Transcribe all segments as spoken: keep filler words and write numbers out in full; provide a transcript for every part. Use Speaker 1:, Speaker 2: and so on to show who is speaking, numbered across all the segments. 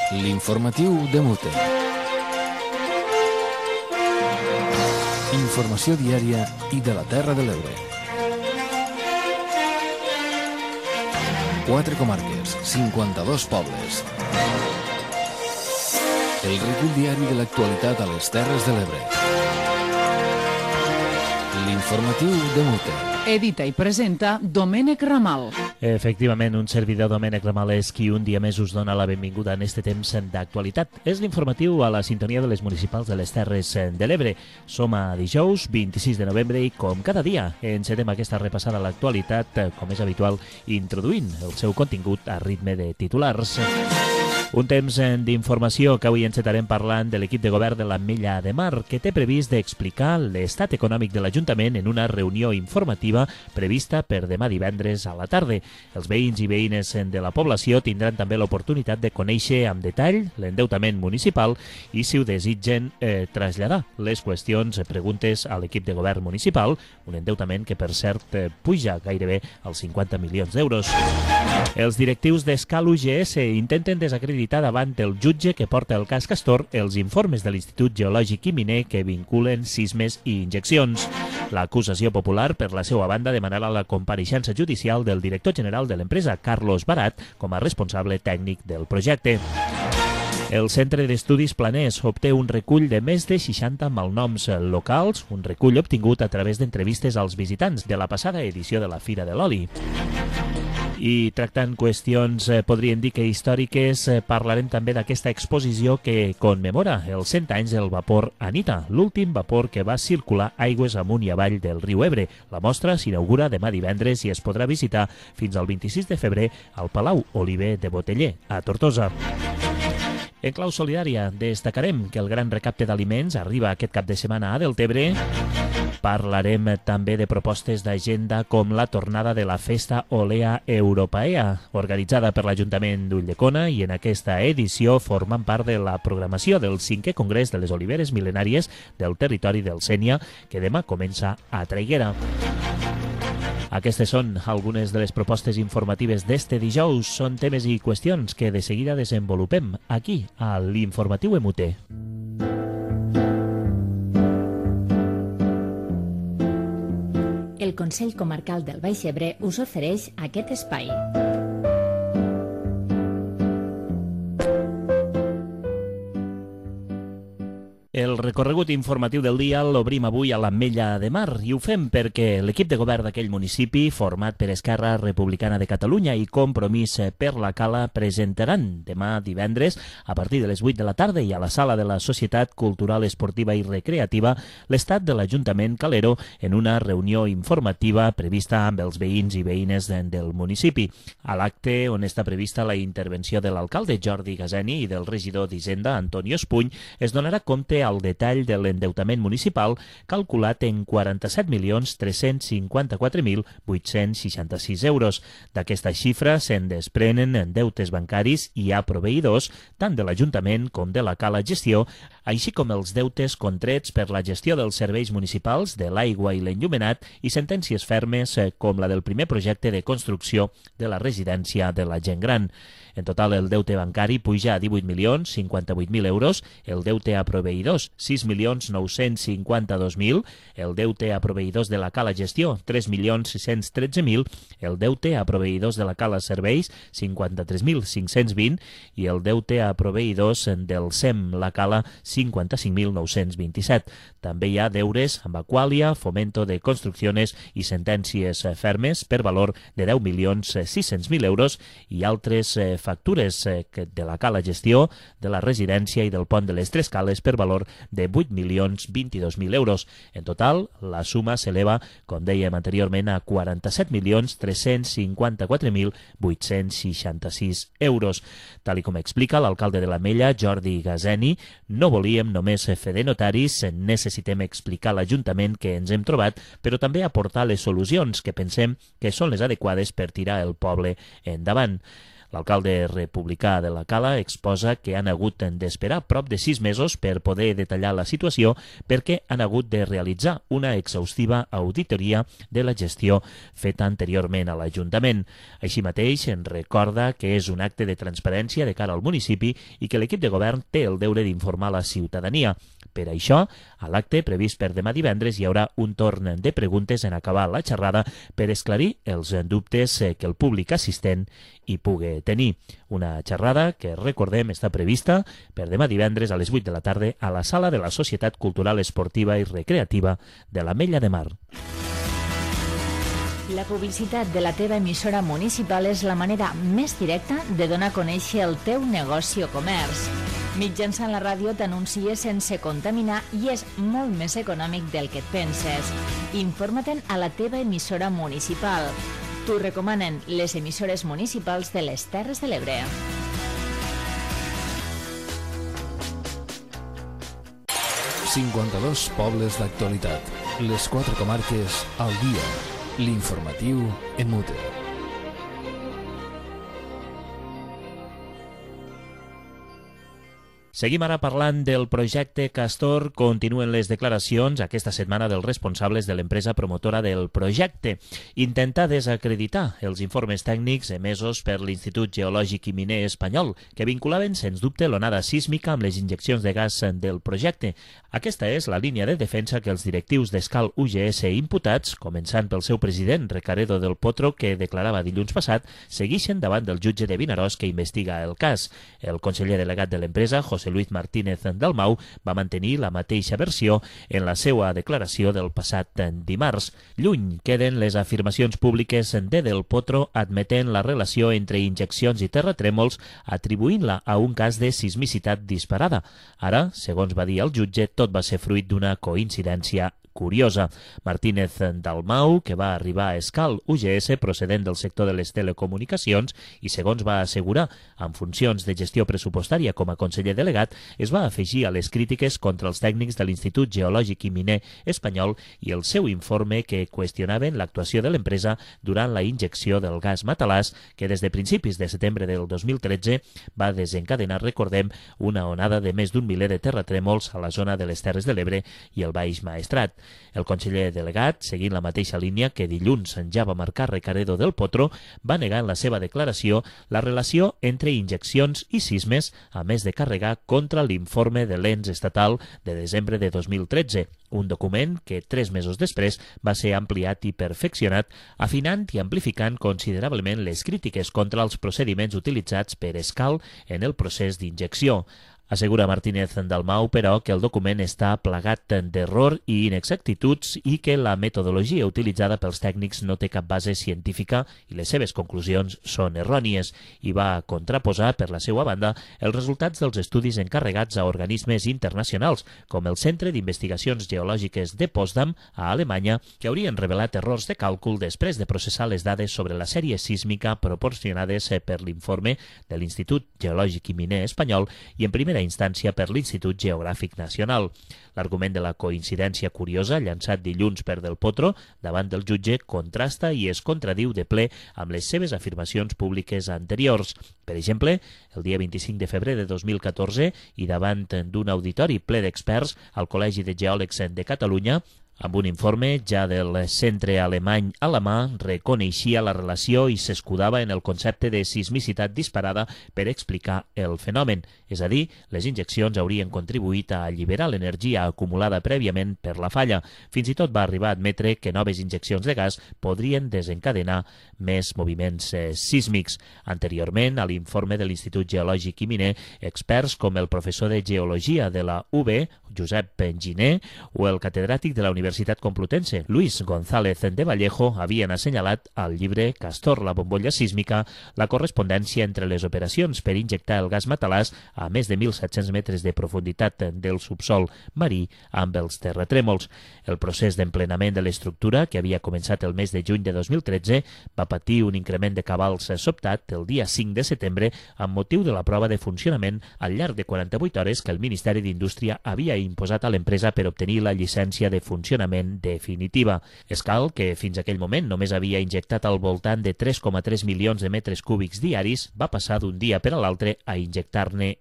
Speaker 1: L'informatiu de Mute. Informació diària i de la Terra de l'Ebre. Quatre comarques, cinquanta-dos pobles. El recull diari de l'actualitat a les Terres de l'Ebre. L'informatiu de Mute.
Speaker 2: Edita i presenta Domènec Ramal.
Speaker 3: Efectivament, un servidor Domènec Ramal és qui un dia més us dona la benvinguda en este temps d'actualitat. És l'informatiu a la sintonia de les municipals de les Terres de l'Ebre. Som a dijous, vint-i-sis de novembre, i com cada dia encetem aquesta repassada a l'actualitat, com és habitual, introduint el seu contingut a ritme de titulars. Un temps d'informació que avui encetarem parlant de l'equip de govern de l'Ametlla de Mar, que té previst d'explicar l'estat econòmic de l'Ajuntament en una reunió informativa prevista per demà divendres a la tarda. Els veïns i veïnes de la població tindran també l'oportunitat de conèixer amb detall l'endeutament municipal i, si ho desitgen, eh, traslladar les qüestions, preguntes a l'equip de govern municipal, un endeutament que, per cert, eh, puja gairebé als cinquanta milions d'euros. Els directius d'Escal U G S intenten desacreditar davant el jutge que porta el cas Castor els informes de l'Institut Geològic i Miner que vinculen sismes i injeccions. L'acusació popular, per la seva banda, demanarà la compareixença judicial del director general de l'empresa, Carlos Barat, com a responsable tècnic del projecte. El Centre d'Estudis Planers obté un recull de més de seixanta malnoms locals, un recull obtingut a través d'entrevistes als visitants de la passada edició de la Fira de l'Oli. I tractant qüestions, eh, podríem dir que històriques, eh, parlarem també d'aquesta exposició que commemora els cent anys del vapor Anita, l'últim vapor que va circular aigües amunt i avall del riu Ebre. La mostra s'inaugura demà divendres i es podrà visitar fins al vint-i-sis de febrer al Palau Oliver de Boteller, a Tortosa. En clau solidària, destacarem que el gran recapte d'aliments arriba aquest cap de setmana a Deltebre. Parlarem també de propostes d'agenda com la tornada de la Festa Olea Europaea, organitzada per l'Ajuntament d'Ulldecona, i en aquesta edició formen part de la programació del cinquè Congrés de les Oliveres Mil·lenàries del territori del Sénia, que demà comença a Traiguera. Aquestes són algunes de les propostes informatives d'este dijous. Són temes i qüestions que de seguida desenvolupem aquí, a l'Informatiu M U T.
Speaker 4: El Consell Comarcal del Baix Ebre us ofereix aquest espai.
Speaker 3: El recorregut informatiu del dia l'obrim avui a l'Ametlla de Mar i ho fem perquè l'equip de govern d'aquell municipi, format per Esquerra Republicana de Catalunya i Compromís per la Cala, presentaran demà divendres, a partir de les vuit de la tarda i a la sala de la Societat Cultural, Esportiva i Recreativa, l'estat de l'Ajuntament Calero en una reunió informativa prevista amb els veïns i veïnes del municipi. A l'acte, on està prevista la intervenció de l'alcalde Jordi Gazeni i del regidor d'Hisenda, Antonio Espuny, es donarà compte al detall de l'endeutament municipal calculat en quaranta-set milions tres-cents cinquanta-quatre mil vuit-cents seixanta-sis euros. D'aquesta xifra se'n desprenen deutes bancaris i a proveïdors tant de l'Ajuntament com de la Cala Gestió, així com els deutes contrets per la gestió dels serveis municipals de l'aigua i l'enllumenat i sentències fermes com la del primer projecte de construcció de la residència de la gent gran. En total, el deute bancari puja a divuit milions cinquanta-vuit mil euros, el deute a proveïdors sis milions nou-cents cinquanta-dos mil, el deute a proveïdors de la Cala Gestió tres milions sis-cents tretze mil, el deute a proveïdors de la Cala Serveis cinquanta-tres mil cinc-cents vint i el deute a proveïdors del S E M La Cala cinquanta-cinc mil nou-cents vint-i-set. També hi ha deures amb Aqualia, Fomento de Construcciones i sentències fermes per valor de deu milions sis-cents mil euros i altres factures de la Cala Gestió, de la residència i del pont de les Tres Cales per valor de vuit milions vint-i-dos mil euros. En total, la suma s'eleva, com dèiem anteriorment, a quaranta-set milions tres-cents cinquanta-quatre mil vuit-cents seixanta-sis euros. Tal i com explica l'alcalde de l'Ametlla, Jordi Gazeni, no volíem només fer de notaris, necessitem explicar a l'Ajuntament que ens hem trobat, però també aportar les solucions que pensem que són les adequades per tirar el poble endavant. L'alcalde republicà de la Cala exposa que han hagut d'esperar prop de sis mesos per poder detallar la situació perquè han hagut de realitzar una exhaustiva auditoria de la gestió feta anteriorment a l'Ajuntament. Així mateix, en recorda que és un acte de transparència de cara al municipi i que l'equip de govern té el deure d'informar la ciutadania. Per això, a l'acte previst per demà divendres hi haurà un torn de preguntes en acabar la xerrada per esclarir els dubtes que el públic assistent hi pugui tenir. Una xerrada que, recordem, està prevista per demà divendres a les vuit de la tarda a la sala de la Societat Cultural Esportiva i Recreativa de l'Ametlla de Mar.
Speaker 4: La publicitat de la teva emissora municipal és la manera més directa de donar a conèixer el teu negoci o comerç. Mitjançant la ràdio t'anuncies sense contaminar i és molt més econòmic del que et penses. Informa-te'n a la teva emissora municipal. T'ho recomanen les emissores municipals de les Terres de l'Ebre.
Speaker 1: cinquanta-dos pobles d'actualitat. Les quatre comarques al dia. L'informatiu en mute.
Speaker 3: Seguim ara parlant del projecte Castor. Continuen les declaracions aquesta setmana dels responsables de l'empresa promotora del projecte. Intentar desacreditar els informes tècnics emesos per l'Institut Geològic i Miner Espanyol, que vinculaven, sens dubte, l'onada sísmica amb les injeccions de gas del projecte. Aquesta és la línia de defensa que els directius d'Escal U G S imputats, començant pel seu president, Recaredo del Potro, que declarava dilluns passat, segueixen davant del jutge de Vinaròs que investiga el cas. El conseller delegat de l'empresa, José Luis Martínez Dalmau, va mantenir la mateixa versió en la seva declaració del passat dimarts. Lluny queden les afirmacions públiques de Del Potro admetent la relació entre injeccions i terratrèmols, atribuint-la a un cas de sismicitat disparada. Ara, segons va dir el jutge, tot va ser fruit d'una coincidència curiosa. Martínez Dalmau, que va arribar a Escal U G S procedent del sector de les telecomunicacions i, segons va assegurar, amb funcions de gestió pressupostària com a conseller delegat, es va afegir a les crítiques contra els tècnics de l'Institut Geològic i Miner Espanyol i el seu informe que qüestionaven l'actuació de l'empresa durant la injecció del gas matalàs que des de principis de setembre del dos mil tretze va desencadenar, recordem, una onada de més d'un miler de terratrèmols a la zona de les Terres de l'Ebre i el Baix Maestrat. El conseller delegat, seguint la mateixa línia que dilluns ja va marcar Recaredo del Potro, va negar en la seva declaració la relació entre injeccions i sismes, a més de carregar contra l'informe de l'E N S estatal de desembre de dos mil tretze, un document que tres mesos després va ser ampliat i perfeccionat, afinant i amplificant considerablement les crítiques contra els procediments utilitzats per Escal en el procés d'injecció. Assegura Martínez Dalmau, però, que el document està plagat d'error i inexactituds i que la metodologia utilitzada pels tècnics no té cap base científica i les seves conclusions són errònies, i va contraposar, per la seva banda, els resultats dels estudis encarregats a organismes internacionals, com el Centre d'Investigacions Geològiques de Potsdam, a Alemanya, que haurien revelat errors de càlcul després de processar les dades sobre la sèrie sísmica proporcionades per l'informe de l'Institut Geològic i Miner Espanyol i, en primera instància, per l'Institut Geogràfic Nacional. L'argument de la coincidència curiosa, llançat dilluns per Del Potro davant del jutge, contrasta i es contradiu de ple amb les seves afirmacions públiques anteriors. Per exemple, el dia vint-i-cinc de febrer de dos mil catorze i davant d'un auditori ple d'experts al Col·legi de Geòlegs de Catalunya, amb un informe ja del centre alemany a la mà, reconeixia la relació i s'escudava en el concepte de sismicitat disparada per explicar el fenomen. És a dir, les injeccions haurien contribuït a alliberar l'energia acumulada prèviament per la falla. Fins i tot va arribar a admetre que noves injeccions de gas podrien desencadenar més moviments eh, sísmics. Anteriorment, a l'informe de l'Institut Geològic i Miner, experts com el professor de Geologia de la U B, Josep Giner, o el catedràtic de la Universitat Complutense, Luis González de Vallejo, havien assenyalat al llibre Castor, la bombolla sísmica, la correspondència entre les operacions per injectar el gas matalàs a més de mil set-cents metres de profunditat del subsol marí amb els terratrèmols. El procés d'emplenament de l'estructura, que havia començat el mes de juny de dos mil tretze, va patir un increment de cabals sobtat el dia cinc de setembre amb motiu de la prova de funcionament al llarg de quaranta-vuit hores que el Ministeri d'Indústria havia imposat a l'empresa per obtenir la llicència de funcionament funcionament definitiva. Escal, que fins aquell moment només havia injectat al voltant de tres coma tres milions de metres cúbics diaris, va passar d'un dia per a l'altre a injectar-ne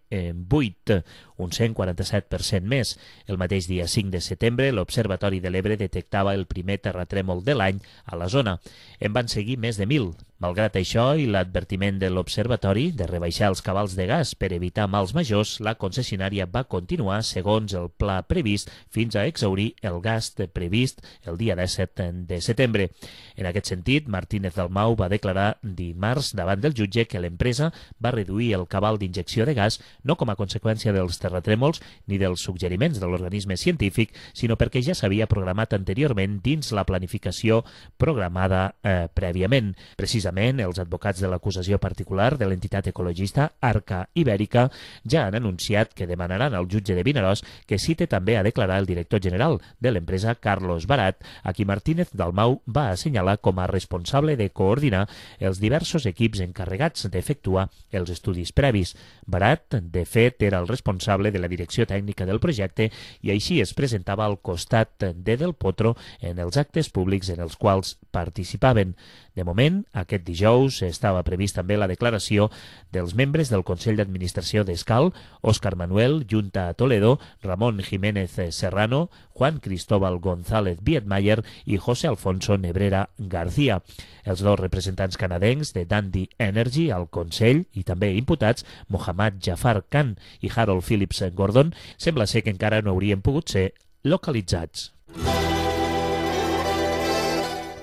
Speaker 3: vuit, un cent quaranta-set per cent més. El mateix dia cinc de setembre, l'Observatori de l'Ebre detectava el primer terratrèmol de l'any a la zona. En van seguir més de mil. Malgrat això i l'advertiment de l'Observatori de rebaixar els cabals de gas per evitar mals majors, la concessionària va continuar segons el pla previst fins a exhaurir el gas previst el dia disset de setembre. En aquest sentit, Martínez Dalmau va declarar dimarts davant del jutge que l'empresa va reduir el cabal d'injecció de gas no com a conseqüència dels terratrèmols ni dels suggeriments de l'organisme científic, sinó perquè ja s'havia programat anteriorment dins la planificació programada eh, prèviament. Precisament, els advocats de l'acusació particular de l'entitat ecologista Arca Ibèrica ja han anunciat que demanaran al jutge de Vinaròs que cite també a declarar el director general de l'empresa, Carlos Barat, a qui Martínez Dalmau va assenyalar com a responsable de coordinar els diversos equips encarregats d'efectuar els estudis previs. Barat, de fet, era el responsable de la direcció tècnica del projecte i així es presentava al costat de Del Potro en els actes públics en els quals participaven. De moment, aquest dijous estava previst també la declaració dels membres del Consell d'Administració d'Escal, Òscar Manuel Junta Toledo, Ramon Jiménez Serrano, Juan Cristóbal González Vietmayer i José Alfonso Nebrera García. Els dos representants canadencs de Dundee Energy al Consell i també imputats, Mohammad Jafar Khan i Harold Phillips Gordon, sembla ser que encara no haurien pogut ser localitzats.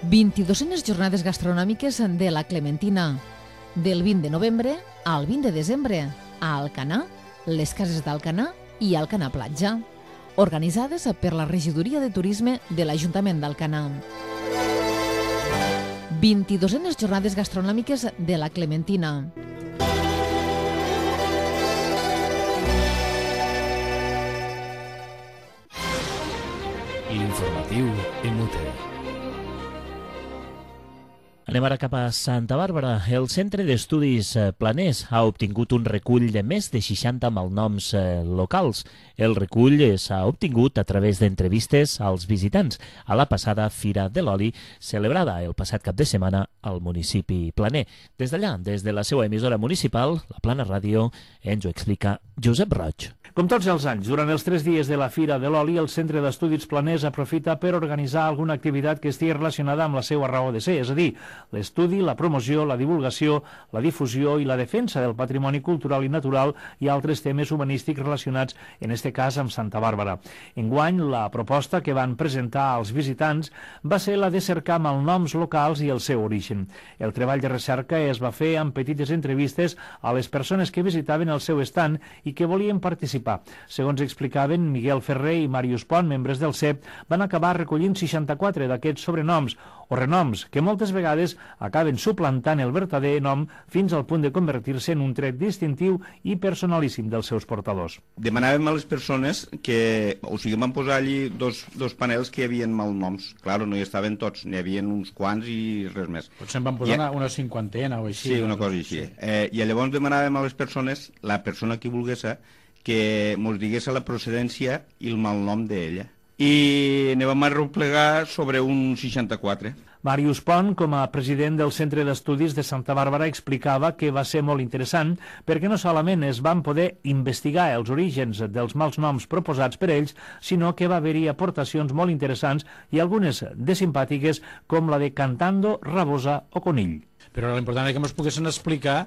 Speaker 2: vint-i-duenes jornades gastronòmiques de la Clementina, del vint de novembre al vint de desembre, a Alcanar, les cases d'Alcanar i Alcanar Platja, organitzades per la Regidoria de Turisme de l'Ajuntament d'Alcanar. vint-i-duenes jornades gastronòmiques de la Clementina.
Speaker 1: L'informatiu en Muter.
Speaker 3: Anem ara cap a Santa Bàrbara. El Centre d'Estudis Planers ha obtingut un recull de més de seixanta malnoms locals. El recull s'ha obtingut a través d'entrevistes als visitants a la passada Fira de l'Oli, celebrada el passat cap de setmana al municipi planer. Des d'allà, des de la seva emissora municipal, la Plana Ràdio, ens ho explica Josep Roig.
Speaker 5: Com tots els anys, durant els tres dies de la Fira de l'Oli, el Centre d'Estudis Planers aprofita per organitzar alguna activitat que estigui relacionada amb la seva raó de ser, és a dir, l'estudi, la promoció, la divulgació, la difusió i la defensa del patrimoni cultural i natural i altres temes humanístics relacionats, en este cas, amb Santa Bàrbara. Enguany, la proposta que van presentar als visitants va ser la de cercar malnoms locals i el seu origen. El treball de recerca es va fer amb petites entrevistes a les persones que visitaven el seu estand i que volien participar. Segons explicaven Miguel Ferrer i Màrius Pont, membres del C E P, van acabar recollint seixanta-quatre d'aquests sobrenoms o renoms que moltes vegades acaben suplantant el verdader nom fins al punt de convertir-se en un tret distintiu i personalíssim dels seus portadors.
Speaker 6: Demanàvem a les persones que, o sigui, van posar allí dos, dos panels que hi havia malnoms. Claro, no hi estaven tots, n'hi havia uns quants i res més.
Speaker 7: Potser en van posar una, una cinquantena o així.
Speaker 6: Sí, una cosa així. Sí. Eh, I llavors demanàvem a les persones, la persona que volgués, que mos digués la procedència i el malnom d'ella. I ne vam arreplegar sobre un seixanta-quatre.
Speaker 5: Màrius Pont, com a president del Centre d'Estudis de Santa Bàrbara, explicava que va ser molt interessant perquè no solament es van poder investigar els orígens dels mals noms proposats per ells, sinó que va haver-hi aportacions molt interessants i algunes de simpàtiques, com la de Cantando, Rabosa o Conill.
Speaker 7: Però l'important és que ens poguessin explicar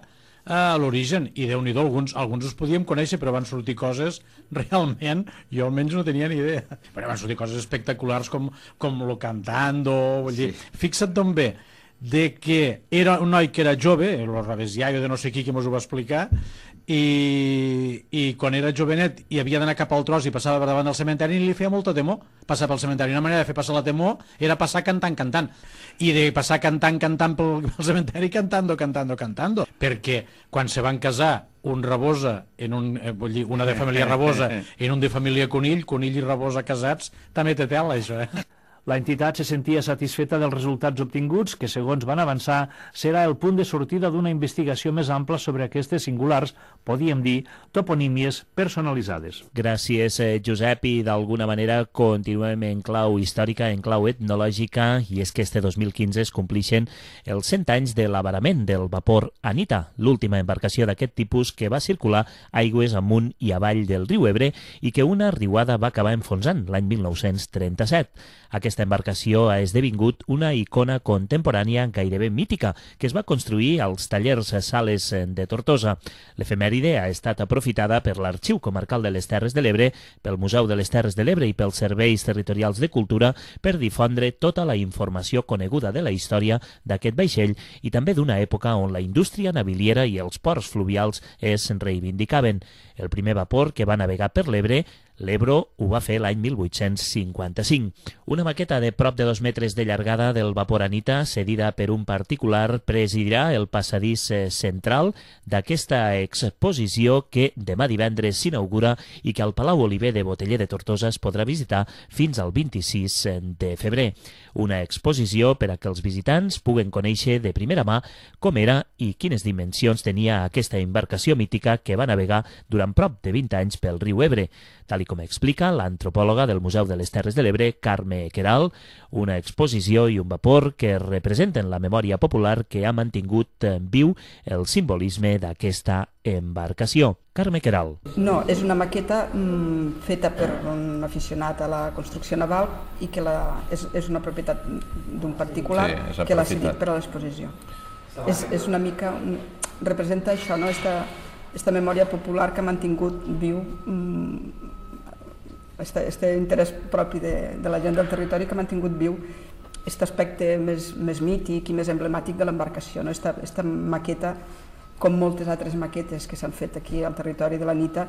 Speaker 7: a l'origen, i Déu-n'hi-do, alguns, alguns els podíem conèixer, però van sortir coses realment, jo almenys no tenia ni idea, però van sortir coses espectaculars com, com lo Cantando, vull dir, sí. Fixa't d'on ve, de que era un noi que era jove, el Rabesiaio de no sé qui que mos ho va explicar, i, i quan era jovenet i havia d'anar cap al tros i passava per davant del cementeri i li feia molta temor passar pel cementeri. Una manera de fer passar la temor era passar cantant, cantant, i de passar cantant, cantant pel, pel cementeri cantando, cantando, cantando, perquè quan se van casar un Rabosa, en un, eh, vull dir, una de família Rabosa en un de família Conill, Conill i Rabosa casats, també té tela, això, eh?
Speaker 5: La entitat se sentia satisfeta dels resultats obtinguts, que, segons van avançar, serà el punt de sortida d'una investigació més ampla sobre aquestes singulars, podíem dir, toponímies personalitzades.
Speaker 3: Gràcies, Josep, i d'alguna manera continuem en clau històrica, en clau etnològica, i és que este dos mil quinze es complixen els cent anys de l'avarament del vapor Anita, l'última embarcació d'aquest tipus que va circular aigües amunt i avall del riu Ebre i que una riuada va acabar enfonsant l'any mil nou-cents trenta-set. Aquesta embarcació ha esdevingut una icona contemporània gairebé mítica que es va construir als tallers Sales de Tortosa. L'efemèride ha estat aprofitada per l'Arxiu Comarcal de les Terres de l'Ebre, pel Museu de les Terres de l'Ebre i pels Serveis Territorials de Cultura per difondre tota la informació coneguda de la història d'aquest vaixell i també d'una època on la indústria naviliera i els ports fluvials es reivindicaven. El primer vapor que va navegar per l'Ebre, l'Ebro, ho va fer l'any mil vuit-cents cinquanta-cinc. Una maqueta de prop de dos metres de llargada del vapor Anita, cedida per un particular, presidirà el passadís central d'aquesta exposició que demà divendres s'inaugura i que al Palau Oliver de Boteller de Tortosa es podrà visitar fins al vint-i-sis de febrer. Una exposició per a que els visitants puguen conèixer de primera mà com era i quines dimensions tenia aquesta embarcació mítica que va navegar durant prop de vint anys pel riu Ebre. Tal com explica l'antropòloga del Museu de les Terres de l'Ebre, Carme Queralt, una exposició i un vapor que representen la memòria popular que ha mantingut viu el simbolisme d'aquesta embarcació. Carme Queralt.
Speaker 8: No, és una maqueta mm, feta per un aficionat a la construcció naval i que la, és, és una propietat d'un particular sí, que l'ha cedit per a l'exposició. És, és una mica, representa això, no? Esta, esta memòria popular que ha mantingut viu mm, este, este interès propi de, de la gent del territori que ha mantingut viu aquest aspecte més, més mític i més emblemàtic de l'embarcació. No? Esta, esta maqueta, com moltes altres maquetes que s'han fet aquí al territori de l'Anita,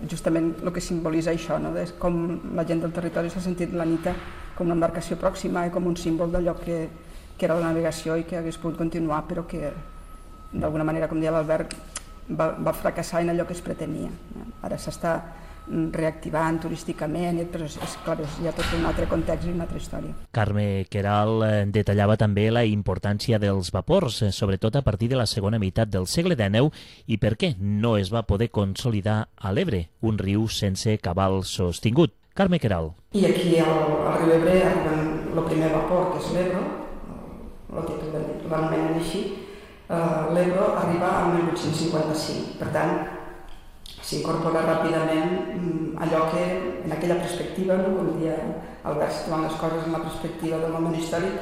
Speaker 8: justament el que simbolitza això, no? És com la gent del territori s'ha sentit l'Anita com una embarcació pròxima i com un símbol d'allò que, que era la navegació i que hagués pogut continuar, però que d'alguna manera, com deia l'Albert, va, va fracassar en allò que es pretenia. No? Ara s'està reactivant turísticament, però és, és clar, hi ha tot un altre context i una altra història.
Speaker 3: Carme Queralt detallava també la importància dels vapors, sobretot a partir de la segona meitat del segle dènou, i per què no es va poder consolidar a l'Ebre, un riu sense cabal sostingut. Carme Queralt.
Speaker 8: I aquí al, al riu Ebre arriba el primer vapor, que és l'Ebro, el títol l'anomenen així. Uh, L'Ebro arriba al mil vuit-cents cinquanta-cinc, per tant, s'incorpora ràpidament allò que, en aquella perspectiva, no, com dia Albert, situant les coses en la perspectiva del moment històric,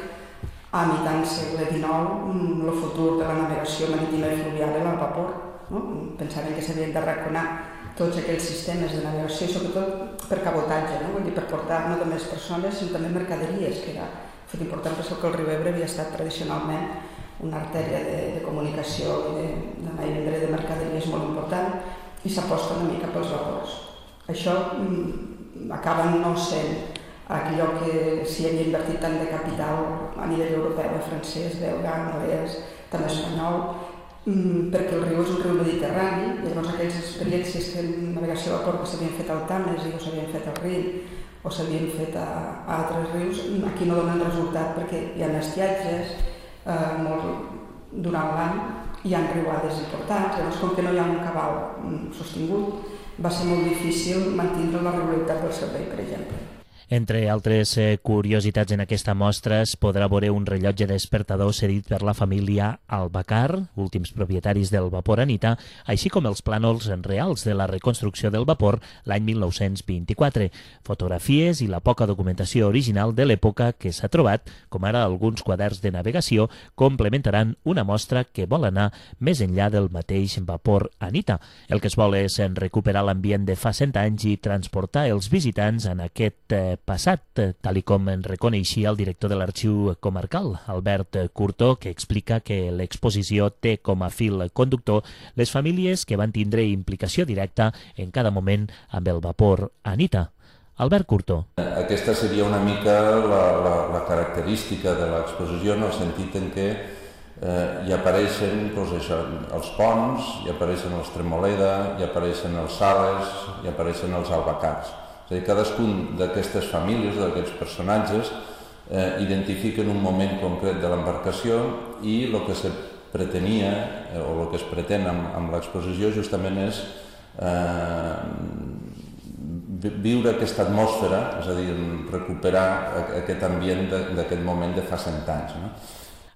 Speaker 8: a mitjan segle dinou, el futur de la navegació marítima i fluvial era el vapor. No? Pensaven que s'havien d'arraconar tots aquells sistemes de navegació, sobretot per cabotatge, no? Vull dir, per portar no només persones, sinó també mercaderies, que era fet important per això que el riu Ebre havia estat tradicionalment una artèria de, de comunicació i de, d'anar i vendre de mercaderies molt important, i s'aposta una mica pels vapors. Això mm, acaba no sent allò que s'hi havia invertit tant de capital a nivell europeu, francès, belga, anglès, també espanyol, mm, perquè el riu és un riu mediterrani, i llavors aquelles experiències de navegació a vapor que s'havien fet al Tames i o s'havien fet al Rin o s'havien fet a, a altres rius, aquí no donen resultat perquè hi ha estiatges eh, molt durant l'any, hi ha riuades importants, llavors com que no hi ha un cabal sostingut, va ser molt difícil mantenir la regularitat del servei, per exemple.
Speaker 3: Entre altres eh, curiositats en aquesta mostra es podrà veure un rellotge despertador cedit per la família Albacar, últims propietaris del vapor Anita, així com els plànols reals de la reconstrucció del vapor l'any mil nou-cents vint-i-quatre, fotografies i la poca documentació original de l'època que s'ha trobat, com ara alguns quaderns de navegació, complementaran una mostra que vol anar més enllà del mateix vapor Anita. El que es vol és recuperar l'ambient de fa cent anys i transportar els visitants en aquest eh, passat, tal i com en reconeixia el director de l'Arxiu Comarcal, Albert Curto, que explica que l'exposició té com a fil conductor les famílies que van tindre implicació directa en cada moment amb el vapor Anita. Albert Curto.
Speaker 9: Aquesta seria una mica la, la, la característica de l'exposició, en el sentit en què eh, hi apareixen doncs, això, els ponts, hi apareixen els Tremoleda, hi apareixen els Sales, hi apareixen els Albacars. És a dir, cadascun d'aquestes famílies, d'aquests personatges, eh, identifiquen un moment concret de l'embarcació i el que se pretenia eh, o el que es pretén amb, amb l'exposició justament és eh, viure aquesta atmosfera, és a dir, recuperar aquest ambient d'aquest moment de fa cent anys. No?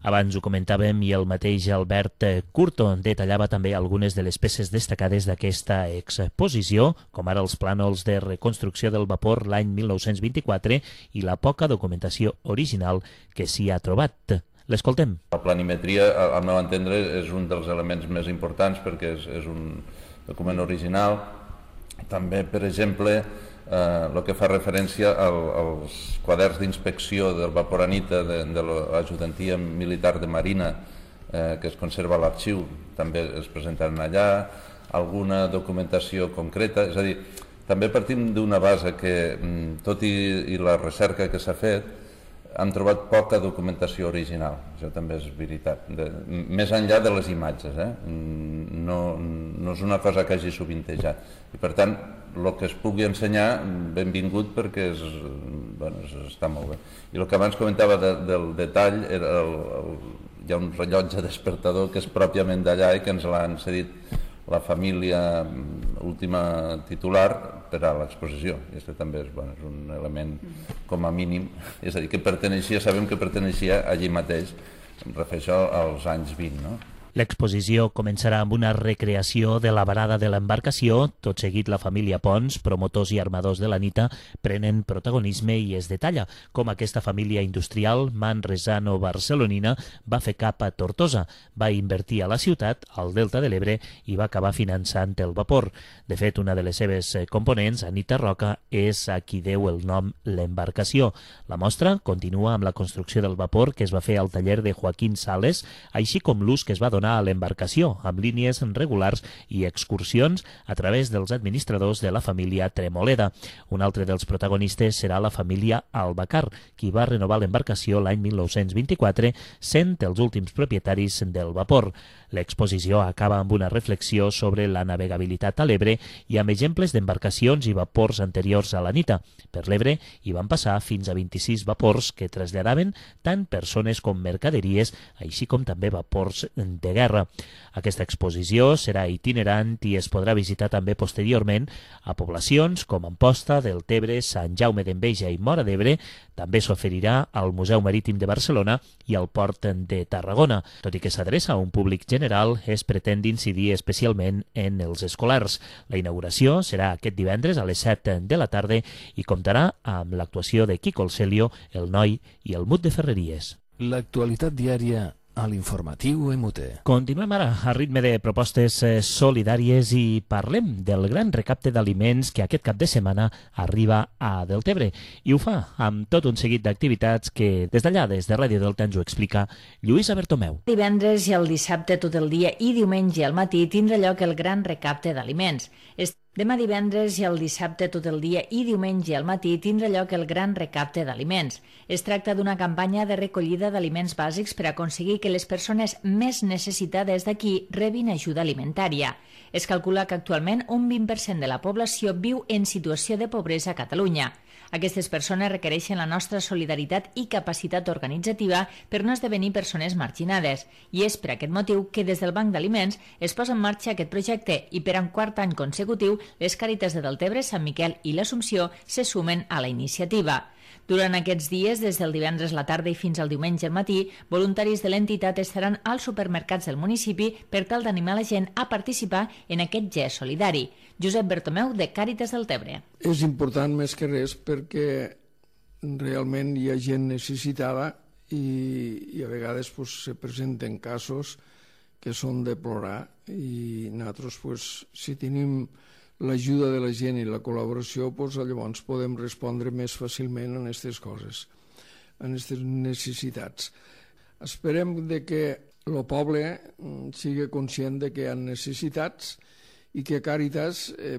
Speaker 3: Abans ho comentàvem i el mateix Albert Curto detallava també algunes de les peces destacades d'aquesta exposició, com ara els plànols de reconstrucció del vapor l'any mil nou-cents vint-i-quatre i la poca documentació original que s'hi ha trobat. L'escoltem.
Speaker 9: La planimetria, al meu entendre, és un dels elements més importants perquè és, és un document original. També, per exemple, eh, el que fa referència al, als quaderns d'inspecció del Vaporanita de, de l'ajudantia militar de Marina eh, que es conserva a l'arxiu, també es presentaran allà, alguna documentació concreta, és a dir, també partim d'una base que, tot i, i la recerca que s'ha fet, han trobat poca documentació original, això també és veritat, de, més enllà de les imatges, eh? no, no és una cosa que hagi sovintejat, i per tant, el que es pugui ensenyar, benvingut perquè és, bueno, està molt bé. I el que abans comentava de, del detall, era el, el, hi ha un rellotge despertador que és pròpiament d'allà i que ens l'han cedit la família última titular per a l'exposició. I aquest també és, bueno, és un element com a mínim, és a dir, que perteneixia, sabem que perteneixia allí mateix, em refereixo als anys vint, no?
Speaker 3: L'exposició començarà amb una recreació de la varada de l'embarcació. Tot seguit, la família Pons, promotors i armadors de l'Anita, prenen protagonisme i es detalla com aquesta família industrial manresano-barcelonina va fer cap a Tortosa, va invertir a la ciutat, al Delta de l'Ebre, i va acabar finançant el vapor. De fet, una de les seves components, Anita Roca, és a qui deu el nom l'embarcació. La mostra continua amb la construcció del vapor que es va fer al taller de Joaquín Sales, així com l'ús que es va donar a l'embarcació, amb línies regulars i excursions a través dels administradors de la família Tremoleda. Un altre dels protagonistes serà la família Albacar, qui va renovar l'embarcació l'any mil nou-cents vint-i-quatre, sent els últims propietaris del vapor. L'exposició acaba amb una reflexió sobre la navegabilitat a l'Ebre i amb exemples d'embarcacions i vapors anteriors a l'Anita. Per l'Ebre hi van passar fins a vint-i-sis vapors que traslladaven tant persones com mercaderies, així com també vapors de guerra. Aquesta exposició serà itinerant i es podrà visitar també posteriorment a poblacions com Amposta, Deltebre, Sant Jaume d'Enveja i Móra d'Ebre. També s'oferirà al Museu Marítim de Barcelona i al Port de Tarragona. Tot i que s'adreça a un públic general, es pretén incidir especialment en els escolars. La inauguració serà aquest divendres a les set de la tarda i comptarà amb l'actuació de Quico el Celio, el Noi i el Mut de Ferreries.
Speaker 1: L'actualitat diària a l'informatiu M U T.
Speaker 3: Continuem ara a ritme de propostes solidàries i parlem del gran recapte d'aliments que aquest cap de setmana arriba a Deltebre. I ho fa amb tot un seguit d'activitats que des d'allà, des de Ràdio Delta, ens ho explica Lluïsa Bertomeu.
Speaker 4: Divendres i el dissabte tot el dia i diumenge al matí tindrà lloc el gran recapte d'aliments. Demà divendres i el dissabte tot el dia i diumenge al matí tindrà lloc el gran recapte d'aliments. Es tracta d'una campanya de recollida d'aliments bàsics per aconseguir que les persones més necessitades d'aquí rebin ajuda alimentària. Es calcula que actualment un vint per cent de la població viu en situació de pobresa a Catalunya. Aquestes persones requereixen la nostra solidaritat i capacitat organitzativa per no esdevenir persones marginades. I és per aquest motiu que des del Banc d'Aliments es posa en marxa aquest projecte i per un quart any consecutiu les Càritas de Deltebre, Sant Miquel i l'Assumpció se sumen a la iniciativa. Durant aquests dies, des del divendres a la tarda i fins al diumenge al matí, voluntaris de l'entitat estaran als supermercats del municipi per tal d'animar la gent a participar en aquest gest solidari. Josep Bertomeu, de Càritas Deltebre.
Speaker 10: És important més que res perquè realment hi ha gent necessitada i, i a vegades pues, se presenten casos que són de plorar i nosaltres, pues, si tenim l'ajuda de la gent i la col·laboració, doncs llavors podem respondre més fàcilment a aquestes coses, a aquestes necessitats. Esperem de que el poble sigui conscient de que hi ha necessitats i que Càritas eh,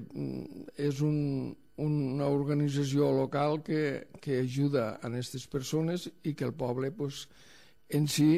Speaker 10: és un, una organització local que, que ajuda a aquestes persones i que el poble pues, en si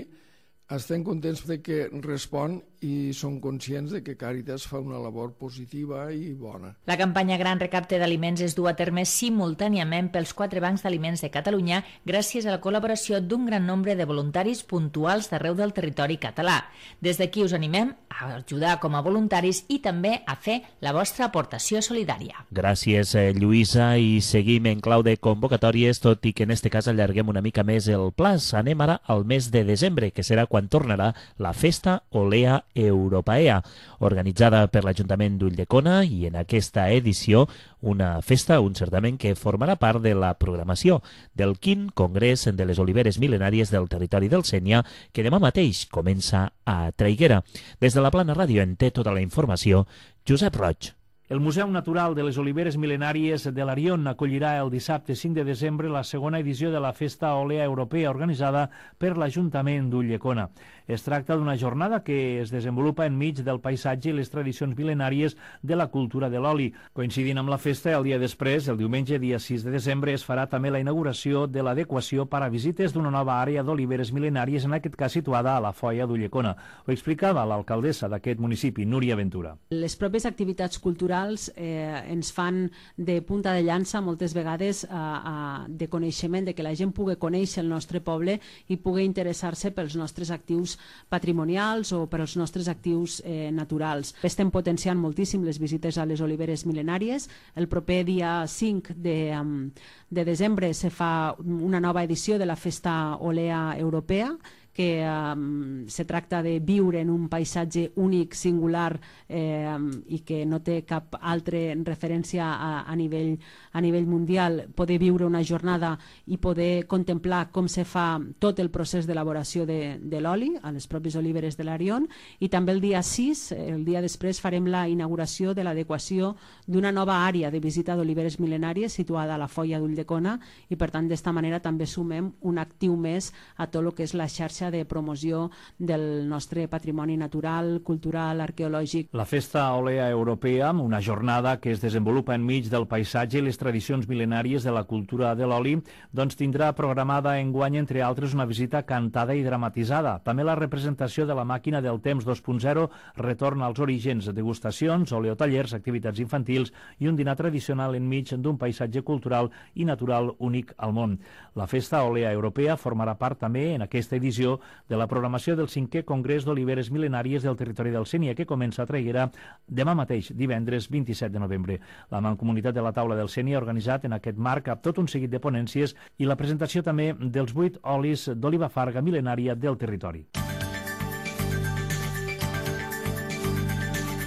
Speaker 10: estem contents de que respon i són conscients de que Càritas fa una labor positiva i bona.
Speaker 4: La campanya Gran Recapte d'Aliments es du a terme simultàniament pels quatre bancs d'aliments de Catalunya gràcies a la col·laboració d'un gran nombre de voluntaris puntuals d'arreu del territori català. Des d'aquí us animem a ajudar com a voluntaris i també a fer la vostra aportació solidària.
Speaker 3: Gràcies, Lluïsa, i seguim en clau de convocatòries, tot i que en este cas allarguem una mica més el plaç. Anem ara al mes de desembre, que serà quan tornarà la Festa Olea Europaea, organitzada per l'Ajuntament d'Ulldecona, i en aquesta edició una festa, un certament que formarà part de la programació del quint Congrés de les Oliveres Mil·lenàries del territori del Sénia, que demà mateix comença a Traiguera. Des de la Plana Ràdio en té tota la informació Josep Roig.
Speaker 5: El Museu Natural de les Oliveres Mil·lenàries de l'Arion acollirà el dissabte cinc de desembre la segona edició de la Festa Olea Europea organitzada per l'Ajuntament d'Ulldecona. Es tracta d'una jornada que es desenvolupa enmig del paisatge i les tradicions mil·lenàries de la cultura de l'oli. Coincidint amb la festa, el dia després, el diumenge dia sis de desembre, es farà també la inauguració de l'adequació per a visites d'una nova àrea d'oliveres mil·lenàries, en aquest cas situada a la Foia d'Ulldecona. Ho explicava l'alcaldessa d'aquest municipi, Núria Ventura.
Speaker 11: Les pròpies activitats culturals eh, ens fan de punta de llança moltes vegades eh, eh, de coneixement, de que la gent pugui conèixer el nostre poble i pugui interessar-se pels nostres actius patrimonials o per als nostres actius eh, naturals. Estem potenciant moltíssim les visites a les oliveres mil·lenàries. El proper dia cinc de, um, de desembre se fa una nova edició de la Festa Olea Europea, que um, se tracta de viure en un paisatge únic, singular eh, i que no té cap altra referència a, a, nivell, a nivell mundial, poder viure una jornada i poder contemplar com se fa tot el procés d'elaboració de, de l'oli a les pròpies oliveres de l'Arion, i també el dia sis, el dia després, farem la inauguració de l'adequació d'una nova àrea de visita d'oliveres mil·lenàries situada a la Foia d'Ulldecona, i per tant d'esta manera també sumem un actiu més a tot el que és la xarxa de promoció del nostre patrimoni natural, cultural, arqueològic.
Speaker 5: La Festa Olea Europea, una jornada que es desenvolupa enmig del paisatge i les tradicions mil·lenàries de la cultura de l'oli, doncs tindrà programada enguany, entre altres, una visita cantada i dramatitzada. També la representació de la màquina del temps dos punt zero, retorn als orígens, degustacions, oleotallers, activitats infantils i un dinar tradicional enmig d'un paisatge cultural i natural únic al món. La Festa Olea Europea formarà part també en aquesta edició de la programació del cinquè Congrés d'Oliveres Mil·lenàries del territori del Sénia, que comença a Traiguera demà mateix, divendres vint-i-set de novembre. La Mancomunitat de la Taula del Sénia ha organitzat en aquest marc tot un seguit de ponències i la presentació també dels vuit olis d'oliva farga mil·lenària del territori.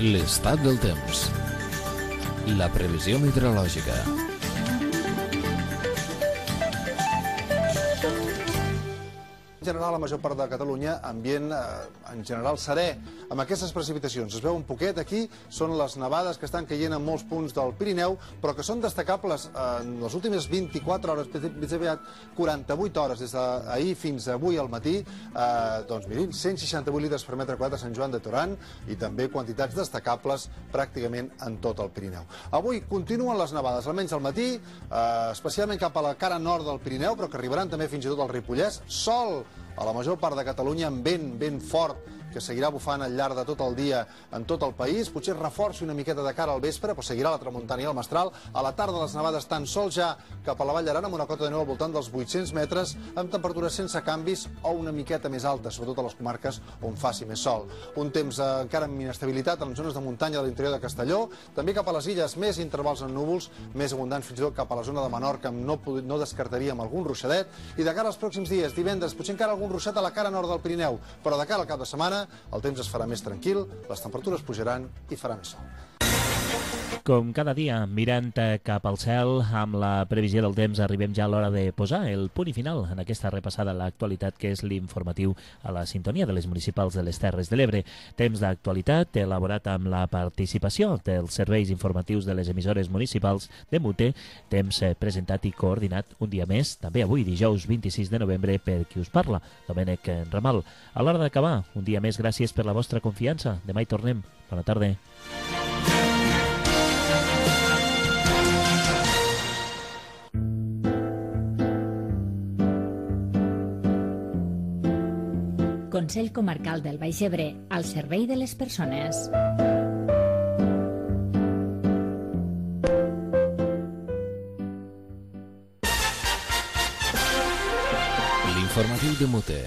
Speaker 1: L'estat del temps. La previsió meteorològica.
Speaker 12: En general, a la major part de Catalunya, ambient eh, en general serè, amb aquestes precipitacions. Es veu un poquet aquí, són les nevades que estan caient en molts punts del Pirineu, però que són destacables eh, en les últimes vint-i-quatre hores, més aviat quaranta-vuit hores, des d'ahir fins avui al matí, eh, doncs mirin, cent seixanta-vuit litres per metre quadrat a Sant Joan de Torant i també quantitats destacables pràcticament en tot el Pirineu. Avui continuen les nevades, almenys al matí, eh, especialment cap a la cara nord del Pirineu, però que arribaran també fins i tot al Ripollès. Sol a la major part de Catalunya amb vent, vent fort, que seguirà bufant al llarg de tot el dia en tot el país. Potser es reforci una miqueta de cara al vespre, però seguirà la tramuntana i el mestral. A la tarda les nevades tan sols ja cap a la Vall d'Aran, amb una cota de neu al voltant dels vuit-cents metres, amb temperatures sense canvis o una miqueta més altes, sobretot a les comarques on faci més sol. Un temps eh, encara amb inestabilitat en les zones de muntanya de l'interior de Castelló, també cap a les illes més intervals en núvols, més abundants fins i tot cap a la zona de Menorca, no, no descartaríem algun ruixadet, i de cara als pròxims dies, divendres, potser encara algun ruixat a la cara nord del Pirineu, però de cara al cap de setmana el temps es farà més tranquil, les temperatures pujaran i farà més sol.
Speaker 3: Com cada dia, mirant cap al cel, amb la previsió del temps, arribem ja a l'hora de posar el punt i final en aquesta repassada a l'actualitat, que és l'informatiu a la sintonia de les municipals de les Terres de l'Ebre. Temps d'actualitat elaborat amb la participació dels serveis informatius de les emissores municipals de Mute, temps presentat i coordinat un dia més, també avui, dijous vint-i-sis de novembre, per qui us parla, Domènec Ramal. A l'hora d'acabar, un dia més, gràcies per la vostra confiança. Demà hi tornem. Bona tarda.
Speaker 13: Consell Comarcal del Baix Ebre, al servei de les persones.
Speaker 1: L'informatiu de Mute,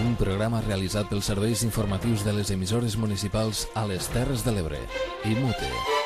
Speaker 1: un programa realitzat pels serveis informatius de les emissores municipals a les Terres de l'Ebre i Mute.